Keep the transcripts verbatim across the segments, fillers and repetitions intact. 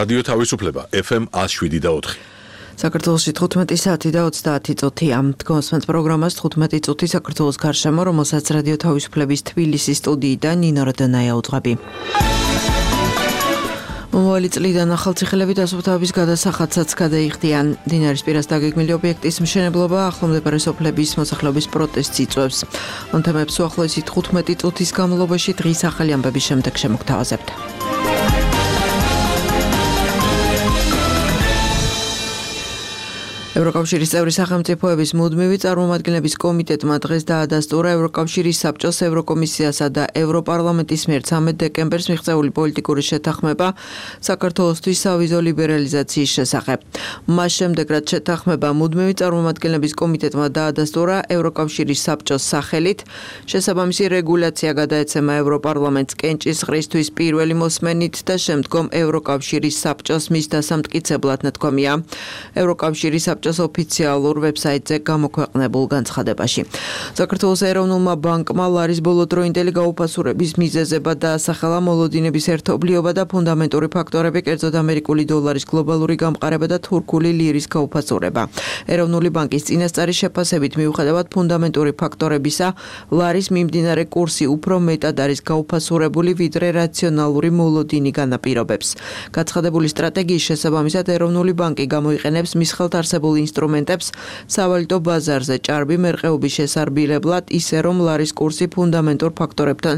რადიო თავისუფლება ეფ ემ ათს შვიდი და ოთხი. საქართველოში თხუთმეტი საათი და ოცდაათი წუთია. Თქვენს პროგრამას თხუთმეტი წუთი საქართველოს გარშემო, რომელსაც რადიო თავისუფლების თბილისის სტუდიიდან ნინო როდონაია უძღვები. მომავალი წლიდან ახალციხელები დასუფთავების გადასახადსაც გადაიხდიან. მდინარის პირას დაგეგმილი ობიექტის მშენებლობა ახლო მდებარე სოფლების მოსახლეობის პროტესტს იწვევს. ამ თემებს უახლოესი თხუთმეტი წუთის განმავლობაში დღის ახალი ამბების შემდეგ შემოგთავაზებთ. ევროკავშირის წევრი სახელმწიფოების მუდმივი წარმომადგენლების კომიტეტმა დღეს დაადასტურა ევროკავშირის საბჭოს, ევროკომისიასა და ევროპარლამენტის მიერ ცამეტ დეკემბერს მიღწეული პოლიტიკური შეთანხმება საქართველოსთვის სავიზო ლიბერალიზაციის შესახებ. მას შემდეგ, რაც შეთანხმება მუდმივი წარმომადგენლების კომიტეტმა დაადასტურა ევროკავშირის საბჭოს სახელით, შესაბამისი რეგულაცია გადაეცემა ევროპარლამენტს კენჭისყრისთვის პირველი მოსმენით და შემდგომ ევროკავშირის საბჭოს მის დასამტკიცებლად ნათქვამია. ევროკავშირის საბჭოს ოფიციალურ ვებსაიტზე გამოქვეყნებულ განცხადებაში. საქართველოს ეროვნულმა ბანკმა ლარის ბოლოდროინდელი გაუფასურების მიზეზებად დაასახელა მოლოდინების ერთობლიობა და ფუნდამენტური ფაქტორები, კერძოდ ამერიკული დოლარის გლობალური გამყარება და თურქული ლირის გაუფასურება. ეროვნული ბანკის წინასწარი შეფასებით, მიუხედავად ფუნდამენტური ფაქტორებისა, ლარის მიმდინარე კურსი უფრო მეტად არის გაუფასურებული, ვიდრე რაციონალური მოლოდინი განაპირობებს. გაცხადებული სტრატეგიის შესაბამისად, ეროვნული ბანკი გამოიყენებს მის ხელთ არსებულ ინსტრუმენტებს სავალუტო ბაზარზე ჭარბი მერყეობის შესარბილებლად, ისე რომ ლარის კურსი ფუნდამენტურ ფაქტორებთან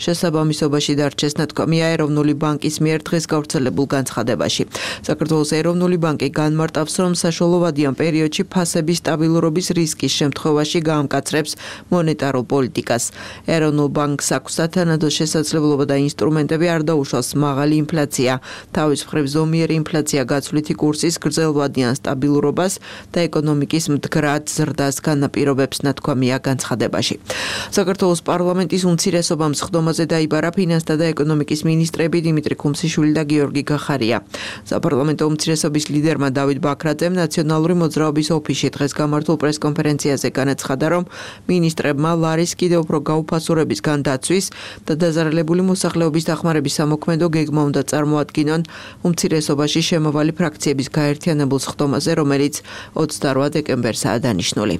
შესაბამისობაში დარჩეს, ნათქვამია ეროვნული ბანკის მიერ დღეს გავრცელებულ განცხადებაში. საქართველოს ეროვნული ბანკი განმარტავს, რომ საშუალოვადიან პერიოდში ფასების სტაბილურობის რისკის შემთხვევაში გაამკაცრებს მონეტარულ პოლიტიკას. ეროვნულ ბანკს აქვს სათანადო შესაძლებლობა და ინსტრუმენტები არ დაუშვას მაღალი ინფლაცია, თავის მხრივ ზომიერი ინფლაცია გაცვლითი კურსის გრძელვადიან სტაბილურობას და ეკონომიკის მდგრად ზრდას განაპირობებს, ნათქვამია განცხადებაში. საქართველოს პარლამენტის უმცირესობამ სხდომაზე დაიბარა ფინანსთა და ეკონომიკის მინისტრები დიმიტრი ქუმსიშვილი და გიორგი გახარია. საპარლამენტო უმცირესობის ლიდერმა დავით ბაქრაძემ ნაციონალური მოძრაობის ოფისში დღეს გამართულ პრესკონფერენციაზე განაცხადა, რომ მინისტრებმა ლარის კიდევ უფრო გაუფასურებისგან დაცვის და დაზარალებული მოსახლეობის დახმარების სამოქმედო გეგმა უნდა წარმოადგინონ უმცირესობაში შემავალი ფრაქციების გაერთიანებულ სხდომაზე, რომელიც ოცდარვა დეკემბერსაა დანიშნული.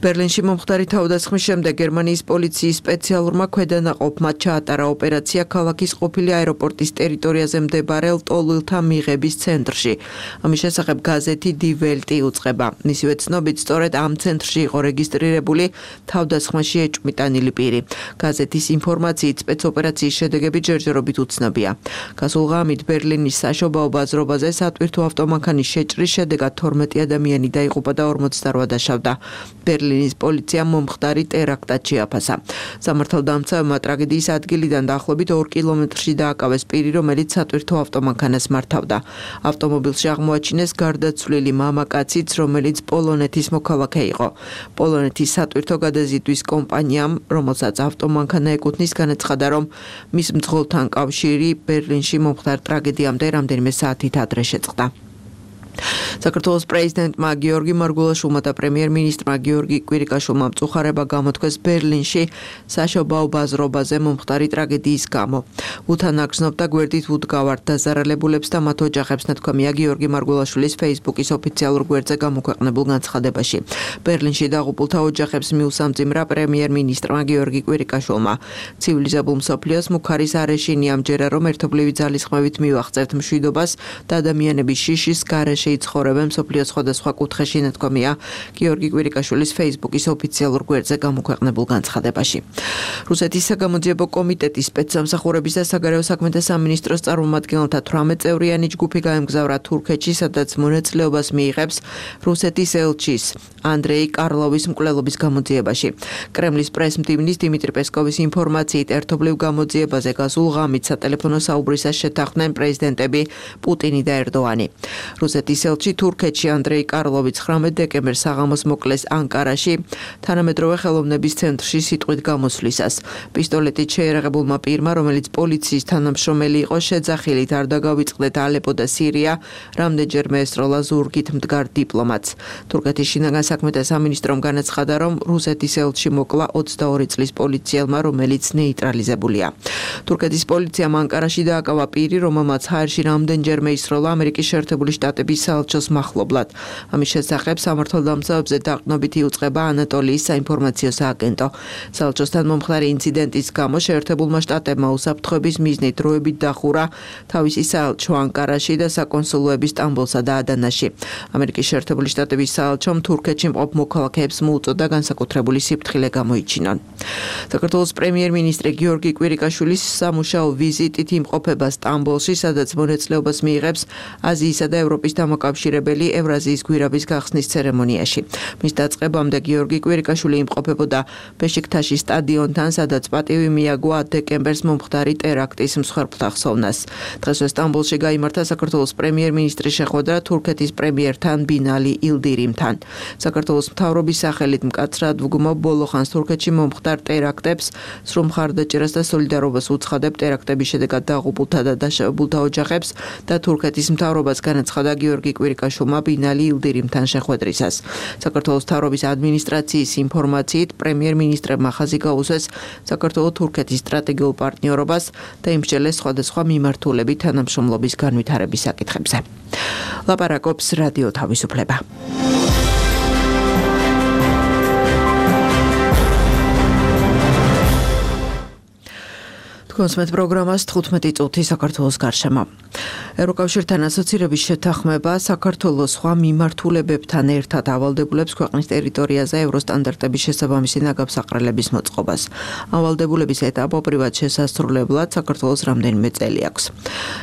ბერლინში მომხდარი თავდასხმის შემდეგ გერმანიის პოლიციის სპეციალურმა ქვედანაყოფმა ჩაატარა ოპერაცია ქალაქის ყოფილი აეროპორტის ტერიტორიაზე მდებარე ლტოლვილთა მიღების ცენტრში. ამის შესახებ გაზეთი Die Welt უწყება. მისივე ცნობით, სწორედ ამ ცენტრში იყო რეგისტრირებული თავდასხმაში ეჭვმიტანილი პირი. გაზეთის ინფორმაციით, სპეცოპერაციის შედეგები ჯერჯერობით უცნობია. გასულ ღამით ბერლინის საშობაო ბაზრობაზე სატვირთო ავტომანქანის შეჭრის შედეგად თორმეტი ადამიანი დაიღუპა და ორმოცდარვა დაშავდა. ბერლინის პოლიციამ მომხდარი ტერაქტად შეაფასა. სამართალდამცავმა ტრაგედიის ადგილიდან დაახლოებით ორ კილომეტრში დააკავეს პირი, რომელიც სატვირთო ავტომანქანას მართავდა. ავტომობილში აღმოაჩინეს გარდაცვლილი მამაკაციც, რომელიც პოლონეთის მოქალაქე იყო. პოლონეთის სატვირთო გადაზიდვის კომპანიამ, რომელსაც ავტომანქანა ეკუთვნის, განაცხადა, რომ მის მძღოლთან კავშირი ბერლინში მომხდარ ტრაგედიამდე რამდენიმე საათით ადრე შეწყდა. საქართველოს პრეზიდენტმა გიორგი მარგულაშვილმა და პრემიერ-მინისტრმა გიორგი კვირიკაშვილმა მწუხარება გამოთქვეს ბერლინში საშობაო ბაზრობაზე მომხდარი ტრაგედიის გამო. უთანაგრძნობ და გვერდით უდგავართ დაზარალებულებს და მათ ოჯახებს, ნათქვამია გიორგი მარგულაშვილის ფეისბუქის ოფიციალურ გვერდზე გამოქვეყნებულ განცხადებაში. ბერლინში დაღუპულთა ოჯახებს მიუსამძიმრა პრემიერ-მინისტრმა გიორგი კვირიკაშვილმა. ცივილიზებულ მსოფლიოს მუქარის არეშინი ამჯერა, რომ ერთობლივი ძალისხმევით მივახცევთ მშვიდობას და ადამიანების შიშის გარეშე იცხოვრებენ მსოფლიოს სხვადასხვა კუთხეში, ნათქვამია გიორგი კვირიკაშვილის ფეისბუქის ოფიციალურ გვერდზე გამოქვეყნებულ განცხადებაში. რუსეთის საგამოძიებო კომიტეტის სპეცსამსახურების და საგარეო საქმეთა სამინისტროს წარმომადგენელთა თვრამეტ წევრიანი ჯგუფი გაემგზავრა თურქეთში, სადაც მონაწილეობას მიიღებს რუსეთის ელჩის ანდრეი კარლოვის მკვლელობის გამოძიებაში. კრემლის პრესმდივნის დიმიტრი პესკოვის ინფორმაციით, ერთობლივ გამოძიებაზე გასულ ღამით სატელეფონო საუბრისას შეთანხმდნენ პრეზიდენტები პუტინი და ერდოანი. რუსეთის რუსეთის ელჩი თურქეთში ანდრეი კარლოვი ცხრამეტ დეკემბერს საღამოს მოკლეს ანკარაში, თანამედროვე ხელოვნების ცენტრში სიტყვით გამოსვლისას. პისტოლეტით შეერაღებულმა პირმა, რომელიც პოლიციის თანამშრომელი იყო, შეძახილით არ დაგავიწყდეთ ალეპო და სირია, რამდენჯერმე ესროლა ზურგით მდგარ დიპლომატს. თურქეთის შინაგან საქმეთა სამინისტრომ განაცხადა, რომ რუსეთის ელჩი მოკლა ოცდაორი წლის პოლიციელმა, რომელიც ნეიტრალიზებულია. თურქეთის პოლიციამ ანკარაში დააკავა პირი, რომელმაც ჰაერში რამდენჯერმე ისროლა ამერიკის შეერთებული შტატების საელჩოს მახლობლად. ამის შესახებ სამართალდამცავებზე დაყრდნობით იუწყება ანატოლიის საინფორმაციო სააგენტო. საელჩოსთან მომხდარი ინციდენტის გამო შეერთებულმა შტატებმა უსაფრთხოების მიზნით დროებით დახურა თავისი საელჩო ანკარაში და საკონსულოები სტამბოლსა და ადანაში. ამერიკის შეერთებული შტატების საელჩომ თურქეთში მყოფ მოქალაქეებს მოუწოდა განსაკუთრებული სიფრთხილე გამოიჩინონ. საქართველოს პრემიერ-მინისტრი გიორგი კვირიკაშვილის სამუშაო ვიზიტით იმყოფება სტამბოლში, სადაც მონაწილეობას მიიღებს აზიისა და ევროპის დამოკავშირებელი ევრაზიის გვირაბის გახსნის ცერემონიაში. მის დაწყებამდე გიორგი კვირიკაშვილი იმყოფებოდა ბეშიქტაშის სტადიონთან, სადაც პატივი მიაგო დეკემბერს მომხდარი ტერაქტის მსხვერპლთა ხსოვნას. დღესვე სტამბოლში გაიმართა საქართველოს პრემიერ-მინისტრის შეხვედრა თურქეთის პრემიერთან ბინალი ილდირიმთან. საქართველოს მთავრობის სახელით მკაცრად ვგმობ ბოლოხანს თურქეთში მომხდარ ტერაქტებს, სრულ მხარდაჭერას და სოლიდარობას უცხადებ ტერაქტების შედეგად დაღუპულთა და დაშავებულთა ოჯახებს და თურქეთის მთავრობას განაცხადა გიორგი კვირიკაშვილმა ბინალი ილდირიმთან შეხვედრისას. საქართველოს მთავრობის ადმინისტრაციის ინფორმაციით პრემიერ-მინისტრებმა ხაზი გაუსვეს საქართველო-თურქეთის სტრატეგიულ პარტნიორობას და იმსჯელეს სხვადასხვა მიმართულებით თანამშრომლობის განვითარების საკითხებზე. ლაპარაკობს რადიო თავისუფლება. კონსმეთ პროგრამას თხუთმეტი წუთი საქართველოს გარშემო. ევროკავშირთან ასოცირების შეთანხმება საქართველოს სხვა მიმართულებებთან ერთად ავალდებულებს ქვეყნის ტერიტორიაზე ევროსტანდარტების შესაბამისი ნაგავსაყრელების მოწყობას. ავალდებულების ეტაპობრივად შესასრულებლად საქართველოს რამდენიმე წელი აქვს.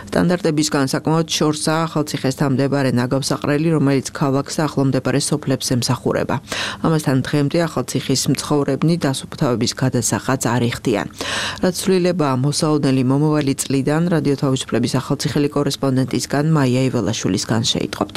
სტანდარტებისგან საკმაოდ შორსაა ახალციხესთან მდებარე ნაგავსაყრელი, რომელიც ქალაქს ახლომდებარე სოფლებს ემსახურება. ამასთან დღემდე ახალციხის მცხოვრებნი დასუფთავების გადასახადს არ იხდიან. რაც ცვლილება მოსაოდნელი მომავალი წლიდან რადიო თავისუფლების ახალციხელი კორესპონდენტისგან მაია იველაშვილისგან შეიტყობთ.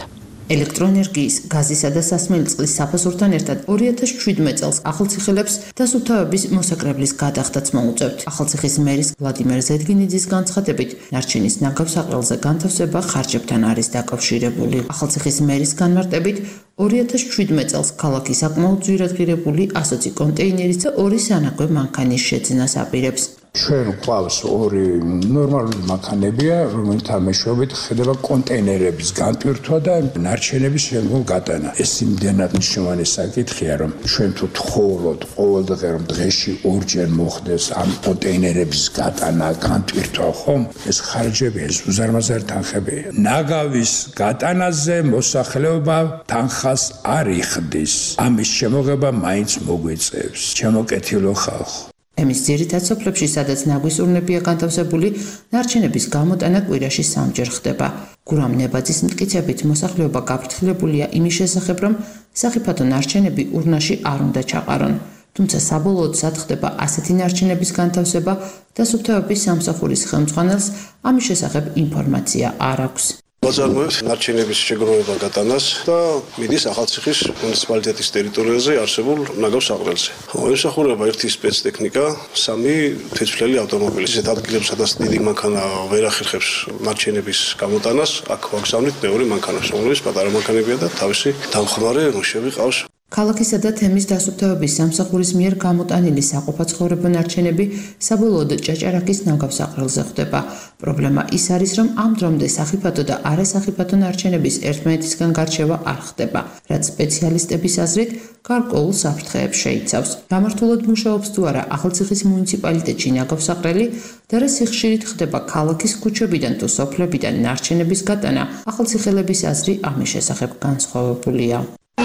ელექტროენერგიის, გაზისა და სასმელი წყლის საფასურთან ერთად ორი ათას შვიდმეტ წელს ახალციხელებს დასუფთავების მოსაკრებლის გადახდაც მოუწევთ. ახალციხის მერის ვლადიმერ ზედგინიძის განცხადებით, ნარჩენის ნაგავსაყრელზე განთავსება ხარჯებთან არის დაკავშირებული. ახალციხის მერის განმარტებით, ორი ათას შვიდმეტ წელს ქალაქი საკმაოდ ძვირადღირებული ასოცი კონტეინერის და ორი სანაგვე მანქანის შეძენას აპირებს. ჩვენ გვყავს ორი ნორმალური მანქანებია, რომელთა მეშვეობით ხდება კონტეინერების განტვირთვა და ნარჩენების შემდგომ გატანა. ეს იმდენად მნიშვნელოვანი საკითხია, რომ ჩვენ თუ თხოვოთ ყოველდღე რომ დღეში ორჯერ მოხდეს ამ კონტეინერების გატანა, განტვირთვა, ხომ? ეს ხარჯები, ეს უზარმაზარი თანხებია. ნაგავის გატანაზე მოსახლეობა თანხას არ იხდის. ამის შემოღება მაინც მოგვიწევს. ჩემოკეთილო ხალხო. ემის ძირითად სოფლებში, სადაც ნაგვის ურნებია განთავსებული, ნარჩენების გამოტანა კვირაში სამჯერ ხდება. გურამ ნებაძის მტკიცებით, მოსახლეობა გაფრთხილებულია იმის შესახებ, რომ სახიფათო ნარჩენები ურნაში არ უნდა ჩაყარონ. თუმცა საბოლოოდ სად ხდება ასეთი ნარჩენების განთავსება, დასუფთავების სამსახურის ხელმძღვანელს ამის შესახებ ინფორმაცია არ აქვს. ვაწარმოებთ ნარჩენების შეგროვება გატანას და მიდის ახალციხის მუნიციპალიტეტის ტერიტორიაზე არსებულ ნაგავსაყრელზე. ემსახურება ერთი სპეცტექნიკა, სამი თვითმფრენი ავტომობილი. ისეთ ადგილებს, სადაც დიდი მანქანა ვერ ახერხებს ნარჩენების გამოტანას, აქ ვაგზავნით მეორე მანქანას, რომელიც პატარა მანქანებია და თავისი დამხმარე მუშები ყავს. ქალაქისა და თემის დასუფთავების სამსახურის მიერ გამოტანილი საყოფაცხოვრებო ნარჩენები საბოლოოდ ჭაჭარაკის ნაგავსაყრელზე ხდება. პრობლემა ის არის, რომ ამ დრომდე სახიფათო და არასახიფათო ნარჩენების ერთმანეთისგან გარჩევა არ ხდება, რაც სპეციალისტების აზრით გარკვეულ საფრთხეებს შეიცავს. გამართულად მუშაობს თუ არა ახალციხის მუნიციპალიტეტში ნაგავსაყრელი და რა სიხშირით ხდება ქალაქის ქუჩებიდან თუ სოფლებიდან ნარჩენების გატანა, ახალციხელების აზრი ამის შესახებ განსხვავებულია.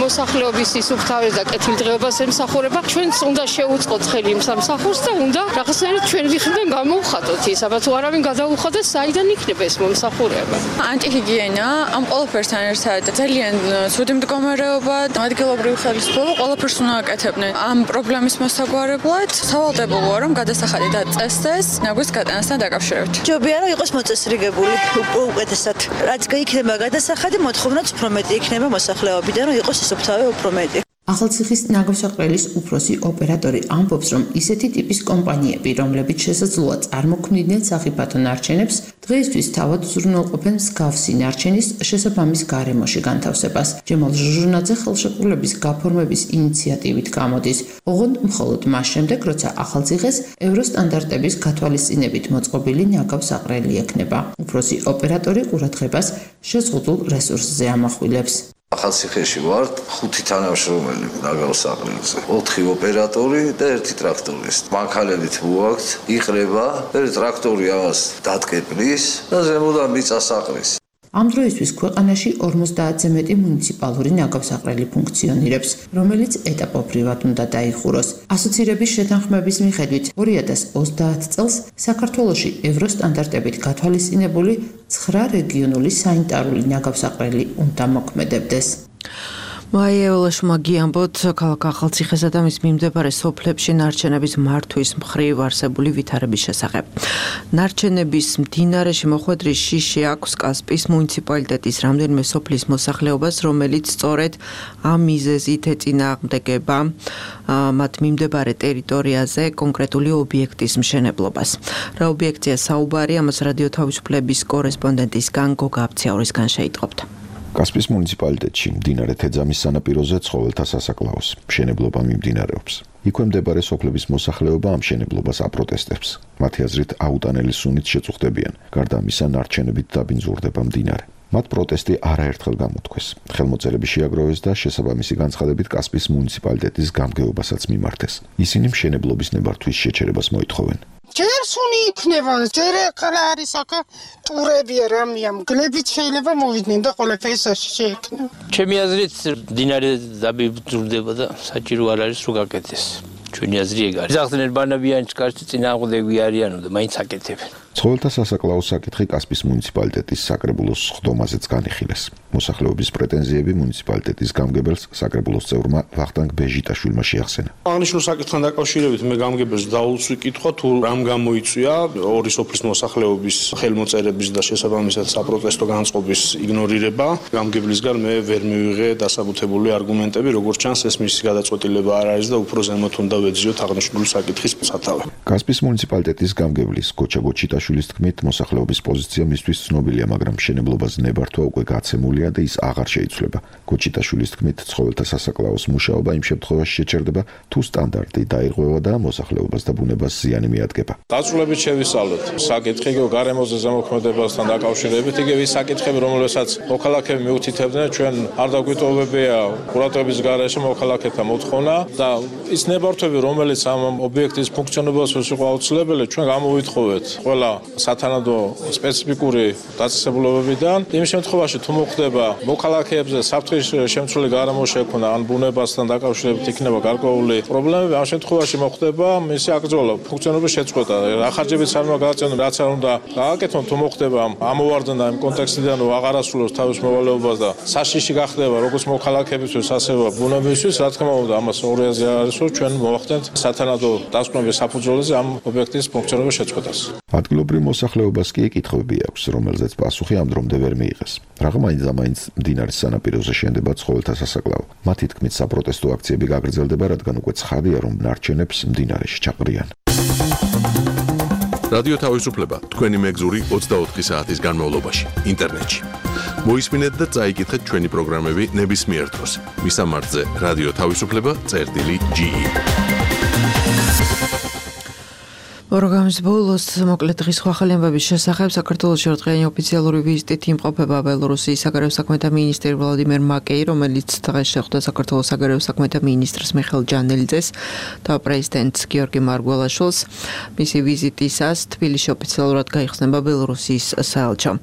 მოსახლეობის სუფთავეს და კეთილდღეობას ემსახურება. ჩვენც უნდა შევუწყოთ ხელი იმ სამსახურს და უნდა რაღაცნაირად ჩვენ ვიხდან გამოვხატოთ ის, აბა თუ არავინ გადაუხადეს, საიდან იქნება ეს მომსახურება. ანტიჰიგიენა ამ ყველაფერთან ერთად ძალიან ცუდი მდგომარეობა, ადგილობრივი ხელისუფლება ყველაფერს უნდა აკეთებდნენ. ამ პრობლემის მოსაგვარებლად სავალდებულოა რომ გადასახადი დაწესდეს ნაგვის გატანასთან დაკავშირებით. ჯობია რომ იყოს მოწესრიგებული უკეთესად. რაც იქნება გადასახადი, მოთხოვნაც უფრო მეტი იქნება მოსახლეობიდან, რომ იყოს სუფთავე უფრო მეტი. ახალციხის ნაგავსაყრელის უფროსი ოპერატორი ამბობს, რომ ისეთი ტიპის კომპანიები, რომლებიც შესაძლოა წარმოქმნიდნენ სახიფათო ნარჩენებს, დღეისთვის თავად უზრუნველყოფენ მსგავსი ნარჩენის შესაბამის გარემოში განთავსებას. ჯემალ ჟუჟუნაძე ხელშეკრულების გაფორმების ინიციატივით გამოდის, ოღონდ მხოლოდ მას შემდეგ, როცა ახალციხეს ევროსტანდარტების გათვალისწინებით მოწყობილი ნაგავსაყრელი ექნება. უფროსი ოპერატორი ყურადღებას შეზღუდულ რესურსზე ამახვილებს. ახალციხეში ვართ ხუთი თანამშრომელი ნაგავსაყრელზე, ოთხი ოპერატორი და ერთი ტრაქტორისტი. მანქანებით ვუაქვთ, იყრება, ერთი ტრაქტორი ამას დატკეპნის და ზემოდან მიწას აყრის. ამ დროისთვის ქვეყანაში ორმოცდაათზე მეტი მუნიციპალური ნაგავსაყრელი ფუნქციონირებს, რომელიც ეტაპობრივად უნდა დაიხუროს. ასოცირების შეთანხმების მიხედვით ორი ათას ოცდაათ წელს საქართველოში ევროსტანდარტებით გათვალისწინებული ცხრა რეგიონული სანიტარული ნაგავსაყრელი უნდა მოქმედებდეს. მაიეულაშ მაგიამბოთ ქალაქ ახალციხესა და მის მიმდებარე სოფლებში ნარჩენების მართვის მხრივ არსებული ვითარების შესახებ. ნარჩენების მდინარეში მოხვედრის შიში აქვს კასპიის მუნიციპალიტეტის რამდენიმე სოფლის მოსახლეობას, რომელიც სწორედ ამ მიზეზით ეწინააღმდეგება მათ მიმდებარე ტერიტორიაზე კონკრეტული ობიექტის მშენებლობას. რა ობიექტია საუბარი, ამას რადიო თავისუფლების კორესპონდენტის განგო გაბციაურისგან შეიტყობთ. კასპიის მუნიციპალიტეტში მდინარე თეძამის სანაპიროზე ცხოველთა სასაკლაოს მშენებლობა მიმდინარეობს. იქვე მდებარე სოფლების მოსახლეობა ამ მშენებლობას აპროტესტებს. მათი აზრით აუტანელი სუნით შეწუხდებიან. გარდა ამისა, ნარჩენებით დაბინძურდება მდინარე. მათ პროტესტი არაერთხელ გამოთქვეს. ხელმოწერები შეაგროვეს და შესაბამისი განცხადებით კასპიის მუნიციპალიტეტის გამგეობასაც მიმართეს. ისინი მშენებლობის ნებართვის შეჩერებას მოითხოვენ. ჯერ სუნი იქნება, ჯერ ახლა არის აქ ტურები რამეა, მგლებით შეიძლება მოვიდნენ და ყველაფერი შეექნება. ჩემი აზრით, მდინარე დაბინძურდება და საჭირო არ არის რომ გაკეთდეს. ჩვენი აზრი ეგ არის. ახსენეთ ბანაბიანის კარში წინააღმდეგი არიანო და მაინც აკეთებენ. ცხოველთა სასაკლაოს საკითხი კასპიის მუნიციპალიტეტის საკრებულოს ხდომაზეც განიხილეს. მოსახლეობის პრეტენზიები მუნიციპალიტეტის გამგებელს საკრებულოს წევრმა ვახტანგ ბეჟიტაშვილმა შეახსენა. აღნიშნულ საკითხთან დაკავშირებით მე გამგებელს დაუცვი კითხვა თუ რამ გამოიწვია ორი სოფლის მოსახლეობის ხელმოწერების და შესაბამისად საპროტესტო განწყობის იგნორირება. გამგებლისგან მე ვერ მივიღე დასაბუთებული არგუმენტები, როგორც ჩანს ეს მისი გადაწყვეტილება არ არის და უფრო ზემოთ უნდა ვეძიოთ აღნიშნული საკითხის სათავე. კასპიის მუნიციპალიტეტის გამგებლის გოჩა გოჩიტაშვილის თქმით, მოსახლეობის პოზიცია მისთვის ცნობილია, მაგრამ მშენებლობაზე ნებართვა უკვე გაცემულია და ის აღარ შეიცვლება. გოჩიტაშვილის თქმით, ცხოველთა სასაკლაოს მუშაობა იმ შემთხვევაში შეჩერდება, თუ სტანდარტი დაირღვევა და მოსახლეობას და ბუნებას ზიანი მიადგება. დაწვრილებით შევისწავლოთ საკითხი გარემოზე ზემოქმედებასთან დაკავშირებით, იგივე ის საკითხები, რომელსაც მოქალაქეები მიუთითებდნენ, ჩვენ არ დაგვიტოვებია ყურადღების გარეშე მოქალაქეთა მოთხოვნა და ის ნებართვები, რომელიც ამ ობიექტის ფუნქციონირებას იყო აუცილებელი, ჩვენ გამოვითხოვეთ ყველა სათანადო სპეციფიკური დაწესებულებებიდან. იმ შემთხვევაში თუ მოხდება მოქალაქეებზე საფრთხის შემცველი გარემო შექმნა ან ბუნებასთან დაკავშირებით იქნება გარკვეული პრობლემები, ამ შემთხვევაში მოხდება მისი აკრძალვა, ფუნქციონირების შეწყვეტა. რა ხარჯებიც არ უნდა გააწევონ, რაც არ უნდა გააკეთონ, თუ მოხდება ამოვარდნა იმ კონტექსტიდან, რომ აღარ ასრულებს თავის მოვალეობას და საშიში გახდება როგორც მოქალაქეებისთვის, ასევე ბუნებისთვის, რა თქმა უნდა, ამას ორი აზრი არის, რომ ჩვენ მოვახდენთ სათანადო დასკვნების საფუძველზე ამ ობიექტის ფუნქციონირების შეწყვეტას. ადგილობრივ მოსახლეობას კი კითხვები აქვს, რომელზეც პასუხი ამ დრომდე ვერ მიიღეს. რაღა მაინც და მაინც მდინარის სანაპიროზე შენდება ცხოველთა სასაკლაო. მათი თქმით, საპროტესტო აქციები გაგრძელდება, რადგან უკვე ცხადია, რომ ნარჩენებს მდინარეში ჩაყრიან. რადიო თავისუფლება თქვენი მეგზური ოცდაოთხი საათის განმავლობაში ინტერნეტში. მოისმინეთ და წაიკითხეთ ჩვენი პროგრამები ნებისმიერ დროს. მისამართზე რადიო თავისუფლება წერტილი ჯი. პროგრამის ბოლოს მოკლედ დღის ახალი ამბების შესახებ საქართველოში ორდღიანი ოფიციალური ვიზიტით იმყოფება ბელორუსიის საგარეო საქმეთა მინისტრი ვლადიმერ მაკეი, რომელიც დღეს შეხვდა საქართველოს საგარეო საქმეთა მინისტრს მიხეილ ჯანელიძეს და პრეზიდენტს გიორგი მარგველაშვილს. მისი ვიზიტისას თბილისში ოფიციალურად გაიხსნება ბელორუსიის საელჩო.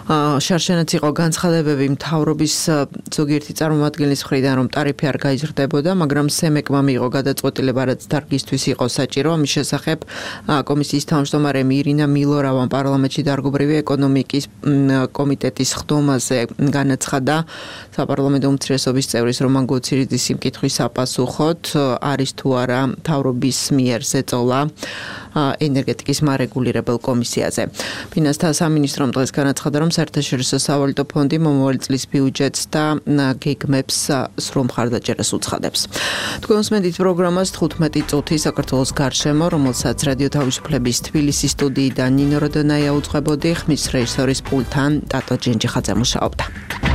შარშანაც იყო განცხადებები მთავრობის ზოგიერთი წარმომადგენლის მხრიდან, რომ ტარიფი არ გაიზრდებოდა, მაგრამ სემეკმა მიიღო გადაწყვეტილება, რაც დარგისთვის იყო საჭირო. ამის შესახებ კომისიის თავმჯდომარე ირინა მილორავამ პარლამენტში დარგობრივი ეკონომიკის კომიტეტის ხდომაზე განაცხადა საპარლამენტო უმცირესობის წევრის რომან გოცირიძის სიმკითხვის საპასუხოდ, არის თუ არა მთავრობის მიერ ზეწოლა ენერგეტიკის მარეგულირებელ კომისიაზე. ფინანსთა სამინისტრომ დღეს განაცხადა, რომ საერთაშორისო სავალუტო ფონდი მომავალი წლის ბიუჯეტს და გეგმებს სრულ მხარდაჭერას უცხადებს. თქვენ უსმენთ პროგრამას თხუთმეტი წუთი საქართველოს გარშემო, რომელსაც რადიო თავისუფლების თბილისის სტუდიიდან ნინო როდონაია უძღვებოდი, ხმის რეჟისორის პულტთან ტატო ჯენჯიხაძე მუშაობდა.